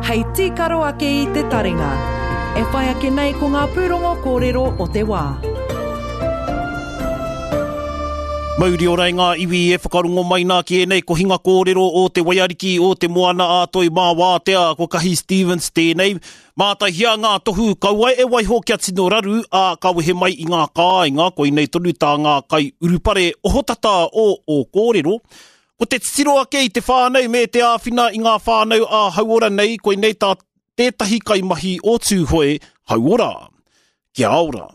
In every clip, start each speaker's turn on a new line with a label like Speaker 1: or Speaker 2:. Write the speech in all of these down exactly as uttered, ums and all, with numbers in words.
Speaker 1: hei tīkaro ake i te taringa. E whai ake nei ko ngā pūrongo kōrero o te wā.
Speaker 2: Mauri ora i ngā iwi e whakarongo mai nā ki ēnei kohinga kōrero o te waiariki o te moana a Toi Mā Wātea, ko Kahi Stevens tēnei. Mātaihia ngā tohu kaua e waiho kia tino raru, ā, ka wehe mai i ngā kāinga, koinei tonu tā ngā kai urupare ohotata o ō kōrero. Ko te titiro ake i te whānau me te āwhina i ngā whānau ā-hauora nei, koinei tā tētahi kaimahi o Tūhoe Hauora. Kia ora.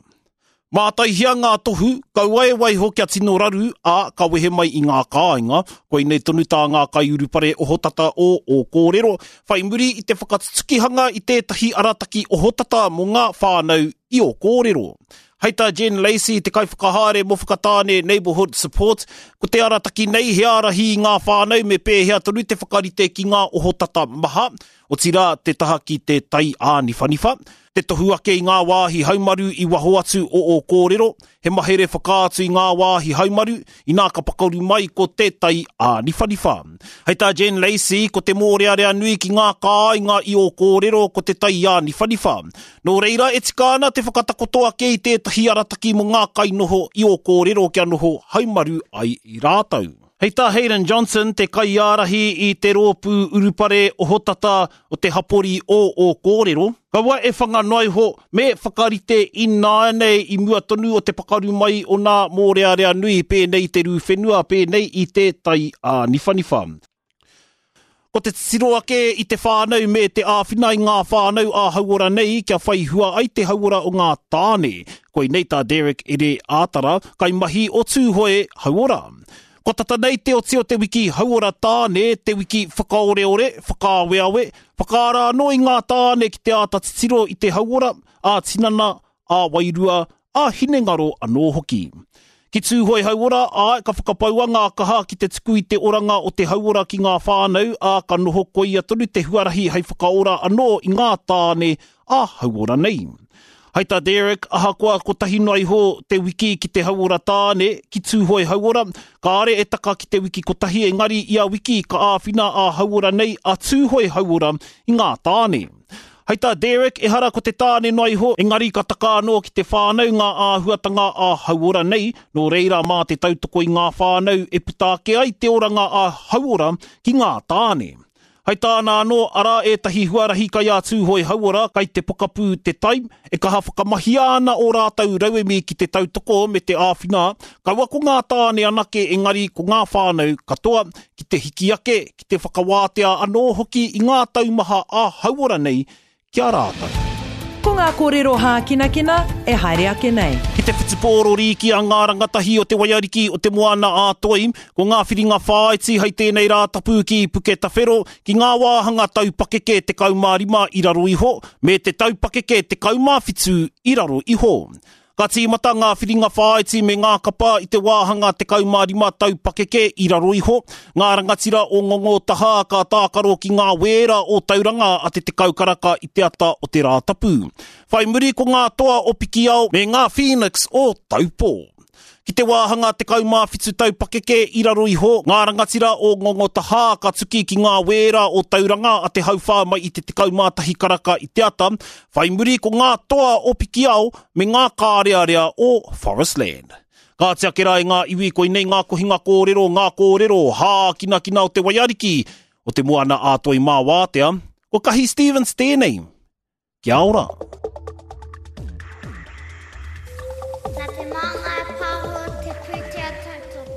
Speaker 2: Mātaihia ngā tohu, kaua e waiho kia tino raru, ā, ka wehe mai i ngā kāinga, koinei tonu tā ngā kaiurupare ohotata o ō kōrero, whai muri i te whakatutukihanga i tētahi arataki ohotata mō ngā whānau i ō kōrero. Hei tā Jen Lacey, te kaiwhakahaere mō Whakatāne Neighbourhood Support, ko te arataki nei he ārahi i ngā whānau me pēhea tonu te whakarite ki ngā ohotata maha, otirā te taha ki te tai āniwhaniwha, te tohu ake i ngā wāhi haumaru i waho atu o ō kōrero, he mahere whakaatu i ngā wāhi haumaru, inā ka pakaru mai ko te tai āniwhaniwha. Hei tā Jen Lacey, ko te mōrearea nui ki ngā kāinga i ō kōrero ko te tai āniwhaniwha. Nō reira e tika ana te whakatakoto ake i tētahi arataki mō ngā kainoho i ō kōrero kia noho haumaru ai i rātou. Hei tā Hayden Johnson, te kaiārahi i te rōpū urupare ohotata o te hapori o ō kōrero, kaua e whanga noa iho me whakarite ināianei i mua tonu o te pakaru mai o nā mōrearea nui pēnei i te rū whenua, pēnei i te tai āniwhaniwha. Ko te titiro ake i te whānau me te āwhina i ngā whānau ā-hauora nei kia whai hua ai te hauora o ngā tāne. Koinei tā Derek Ere Ātara, kaimahi o Tūhoe Hauora. Kua tata nei te oti o te wiki hauora tāne, te wiki whakaoreore, whakaaweawe, whakaara anō i ngā tāne ki te āta titiro i te hauora, ā-tinana, ā-wairua, ā-hinengaro anō hoki. Ki Tūhoe Hauora, āe, ka whakapaua ngā kaha ki te tuku i te oranga o te hauora ki ngā whānau, ā, ka noho koia tonu te huarahi hei whakaora anō i ngā tāne ā-hauora nei. Hei tā Derek, ahakoa kotahi noa iho te wiki ki te hauora tāne, ki Tūhoe Hauora, kāre e taka ki te wiki kotahi engari ia wiki ka āwhina ā-hauora nei a Tūhoe Hauora i ngā tāne. Hei tā Derek, ehara ko te tāne noa iho, engari ka taka anō ki te whānau ngā āhuatanga ā-hauora nei, nō reira mā te tautoko i ngā whānau e puta ake ai te oranga ā-hauora ki ngā tāne. Hei tāna anō, arā ētahi huarahi kai a Tūhoe Hauora, kai te pokapū te tai, e kaha whakamahia ana ō rātou rauemi ki te tautoko me te āwhina, kaua ko ngā tāne anake engari ko ngā whānau katoa, ki te hiki ake, ki te whakawātea anō hoki i ngā taumaha ā-hauora nei ki a rātou.
Speaker 1: Ko ngā kōrero hākinakina e haere ake nei.
Speaker 2: Ki te whutupōro rīki a ngā rangatahi o te waiariki o te moana a Toi, ko ngā whiringa whāiti hei tēnei rā tapu ki Puketawhero, ki ngā wāhanga taupakeke tekau mā rima i raro iho, me te taupakeke tekau mā whitu i raro iho. Ka tīmata ngā whiringa whāiti me ngā kapa i te wāhanga tekau mā rima taupakeke i raro iho, ngā rangatira o Ngongo Taha ka tākaro ki ngā wēra o Tauranga a te tekau karaka i te ata o te Rātapu. Whai muri ko ngā toa o Pikiao me ngā Phoenix o Taupō. Ki te wāhanga tekau mā whitu taupakeke i raro iho, ngā rangatira o Ngongo Taha ka tuki ki ngā wēra o Tauranga a te hauwhā mai i te tekau mā tahi karaka i te ata, whai muri ko ngā toa o Pikiao me ngā kārearea o Forestland. Ka oti ake rā e ngā iwi koinei ngā kohinga kōrero, ngā kōrero hākinakina o te waiariki, o te moana a Toi mā Wātea, ko Kahi Stevens tēnei. Kia ora!
Speaker 3: Nā te Māngai Pāho te pūtea tautoko.